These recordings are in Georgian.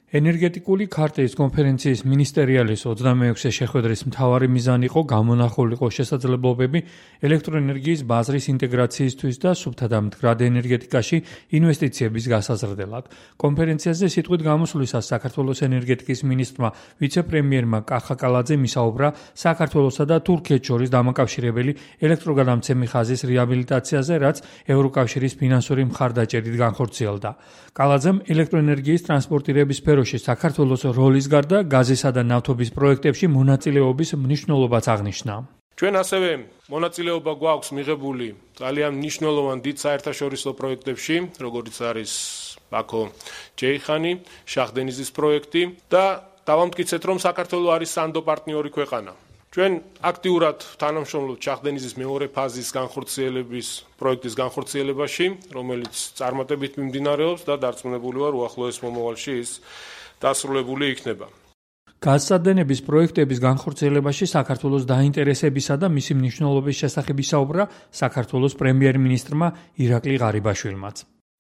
ენერგეტიკული ქარტის კონფერენციის მინისტერიალის 26-ე შეხვედრის მთავარი მიზანი იყო გამონახულიყო შესაძლებლობები ელექტროენერგიის ბაზრის ინტეგრაციისთვის და სუფთა და მდგრად ენერგეტიკაში ინვესტიციების გასაზრდელად. კონფერენციაზე სიტყვით გამოსვლისას საქართველოს ენერგეტიკის მინისტრმა ვიცე-პრემიერმა კახა კალაძემ ისაუბრა საქართველოსა და თურქეთს შორის დამაკავშირებელი ელექტროგადამცემი ხაზის რეაბილიტაციაზე, რაც ევროკავშირის ფინანსური მხარდაჭერით განხორციელდა. კალაძემ ელექტროენერგიის ტრანსპორტირების საქართველოს როლის გარდა გაზისა და ნავთობის პროექტებში მონაწილეობის მნიშვნელობაც აღნიშნა. ჩვენ ასევე მონაწილეობა გვაქვს მიღებული ძალიან მნიშვნელოვან დიდ საერთაშორისო პროექტებში, როგორიც არის ბაქო-ჯეიხანი, შაჰ-დენიზის პროექტი და დავამტკიცეთ, რომ საქართველო არის სანდო პარტნიორი ქვეყანა. ჩვენ აქტიურად თანამშრომლობთ შაჰ-დენიზის მეორე ფაზის განხორციელების პროექტის განხორციელებაში, რომელიც წარმატებით მიმდინარეობს და დარწმუნებული ვარ, უახლოეს მომავალში ის დასრულებული იქნება. გაზსადენების პროექტების განხორციელებაში საქართველოს დაინტერესებისა და მისი მნიშვნელობის შესახებ ისაუბრა საქართველოს პრემიერ-მინისტრმა ირაკლი ღარიბაშვილმაც.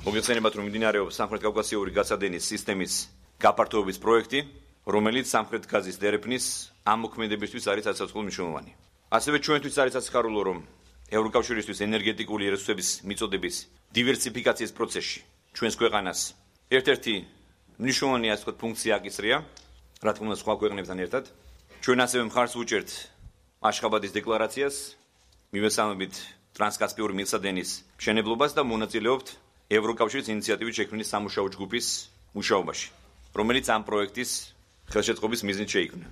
მოგეხსენებათ, რომ მიმდინარეობს სამხრეთ კავკასიური გაზსადენის სისტემის გაფართოების პროექტი, რომელიც სამხრეთ გაზის დერეფნის ამ მოქმედებისთვის არის სასაცილო მნიშვნელოვანი. ასევე ჩვენთვის არის სასიხარულო, რომ ევროკავშირისთვის ენერგეტიკული რესურსების მიწოდების დივერსიფიკაციის პროცესში ჩვენს ქვეყანას ერთ-ერთი მნიშვნელოვანი ასე ვთქვათ ფუნქცია აკისრია, რა თქმა უნდა სხვა ქვეყნებთან ერთად. ჩვენ ასევე მხარს ვუჭერთ აშხაბადის დეკლარაციას, მივესალმებით ტრანსკასპიური მილსადენის მშენებლობას და მონაწილეობთ ევროკავშირის ინიციატივის შექმნის სამუშაო ჯგუფის მუშაობაში, რომელიც ამ პროექტის ხელშეწყობის მიზნით შეიქმნა.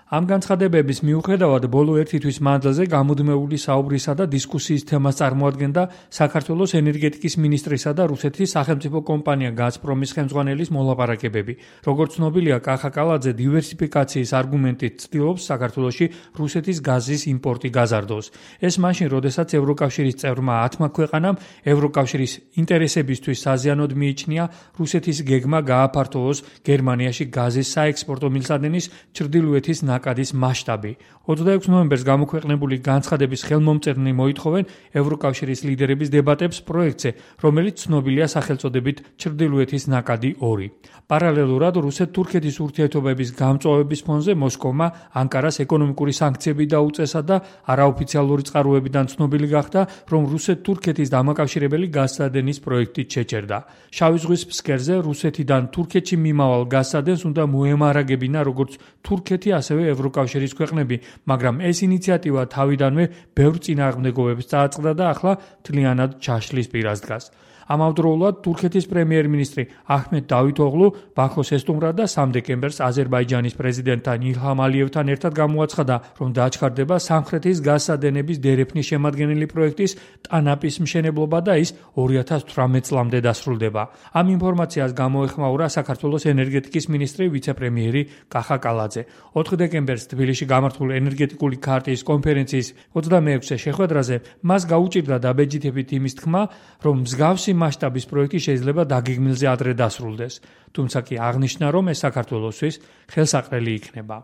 ამ განცხადებების მიუხედავად ბოლო ერთი თვის მანძილზე გამუდმებული საუბრისა და დისკუსიის თემას წარმოადგენდა საქართველოს ენერგეტიკის მინისტრისა და რუსეთის სახელმწიფო კომპანია გაზპრომის ხელმძღვანელის მოლაპარაკებები. როგორც ცნობილია, კახა კალაძე დივერსიფიკაციის არგუმენტით ცდილობს საქართველოში რუსეთის გაზის იმპორტი გაზარდოს. ეს მაშინ, როდესაც ევროკავშირის წევრმა 10 ქვეყანამ ევროკავშირის ინტერესებისთვის საზიანოდ მიიჩნია რუსეთის გეგმა გააფართოვოს გერმანიაში გაზის საექსპორტო მილსადენის ჩრდილოეთის ნაკადის მასშტაბი. 26 ნოემბერს გამოქვეყნებული განცხადების ხელმომწერნი მოითხოვენ ევროკავშირის ლიდერების დებატებს პროექტზე, რომელიც ცნობილია სახელწოდებით ჩრდილოეთის ნაკადი 2. პარალელურად რუსეთ-თურქეთის ურთიერთობების გამწვავების ფონზე მოსკოვმა ანკარას ეკონომიკური სანქციები დაუწესა და არაოფიციალური წყაროებიდან ცნობილი გახდა, რომ რუსეთ-თურქეთის დამაკავშირებელი გაზსადენის პროექტით შეჭერდა. შავი ზღვის ფსკერზე რუსეთიდან თურქეთში მიმავალ გაზსადენს უნდა მოემარაგებინა როგორც თურქეთი, ასევე ევროკავშირის ქვეყნები, მაგრამ ეს ინიციატივა თავიდანვე ბევრ წინააღმდეგობებს წააწყდა და ახლა მთლიანად ჩაშლის პირას დგას. ამავდროულად თურქეთის პრემიერ-მინისტრი აჰმედ დავითოღლუ ბაქოს ესტუმრა და 3 დეკემბერს აზერბაიჯანის პრეზიდენტთან ილჰამ ალიევთან ერთად გამოაცხადა, რომ დაჩქარდება სამხრეთის გაზსადენების დერეფნის შემადგენელი პროექტის ტანაპის მშენებლობა და ის 2018 წლამდე დასრულდება. ამ ინფორმაციას გამოეხმაურა საქართველოს ენერგეტიკის მინისტრი ვიცე-პრემიერი კახა კალაძე. 4 დეკემბერს თბილისში გამართულ ენერგეტიკული ქარტის კონფერენციის 26-ე შეხვედრაზე მას გაუჭირდა დაბეჯითებით იმის თქმა, რომ მსგავსი მასშტაბის პროექტი შეიძლება დაგეგმილზე ადრე დასრულდეს. თუმცა კი აღნიშნა, რომ ეს საქართველოსთვის ხელსაყრელი იქნება.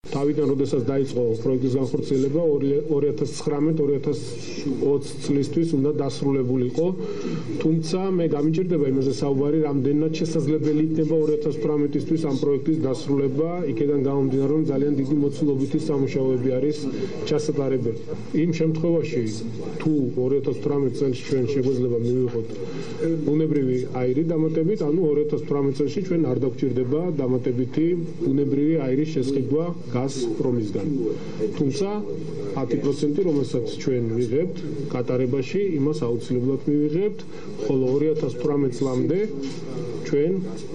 თავიდან, როდესაც დაიწყო პროექტის განხორციელება 2019-2020 წლისთვის უნდა დასრულებულიყო, თუმცა მე გამიჭირდება იმაზე საუბარი, რამდენად შესაძლებელი იქნება 2018-ისთვის ამ პროექტის დასრულება, იქიდან გამომდინარე, რომ ძალიან დიდი მოცულობითი სამუშაოები არის ჩასატარებელი. იმ შემთხვევაში, თუ 2018 წელს ჩვენ შეგვეძლება მივიღოთ ბუნებრივი აირი დამატებით, ანუ 2018 წელში ჩვენ არ დაგვჭირდება დამატებითი ბუნებრივი აირის შესყიდვა გაზპრომისგან. თუმცა 10%, რომელსაც ჩვენ ვიღებთ გატარებაში, იმას აუცილებლად მივიღებთ, ხოლო 2018 წლამდე ჩვენ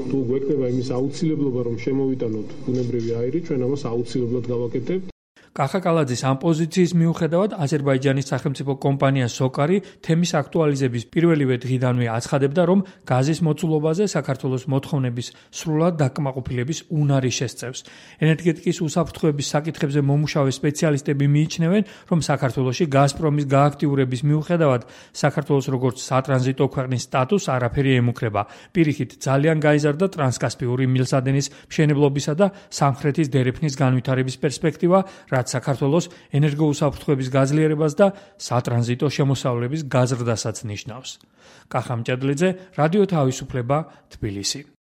თუ გვექნება იმის აუცილებლობა, რომ შემოვიტანოთ ბუნებრივი აირი, ჩვენ ამას აუცილებლად გავაკეთებთ. კახა კალაძის ამ პოზიციის მიუხედავად აზერბაიჯანის სახელმწიფო კომპანია სოკარი თემის აქტუალიზების პირველივე დღიდანვე აცხადებდა, რომ გაზის მოცულობაზე საქართველოს მოთხოვნების სრულად დაკმაყოფილების უნარი შესწევს. ენერგეტიკის უსაფრთხოების საკითხებზე მომუშავე სპეციალისტები მიიჩნევენ, რომ საქართველოში გაზპრომის გააქტიურების მიუხედავად საქართველოს როგორც სატრანზიტო ქვეყნის სტატუსს არაფერი ემუქრება. პირიქით, ძალიან გაიზარდა ტრანსკასპიური მილსადენის მშენებლობისა და სამხრეთის დერეფნის განვითარების პერსპექტივა, რაც საქართველოს ენერგოუსაფრთხოების გაძლიერებას და სატრანზიტო შემოსავლების გაზრდასაც ნიშნავს. კახა მჭედლიძე, რადიო თავისუფლება, თბილისი.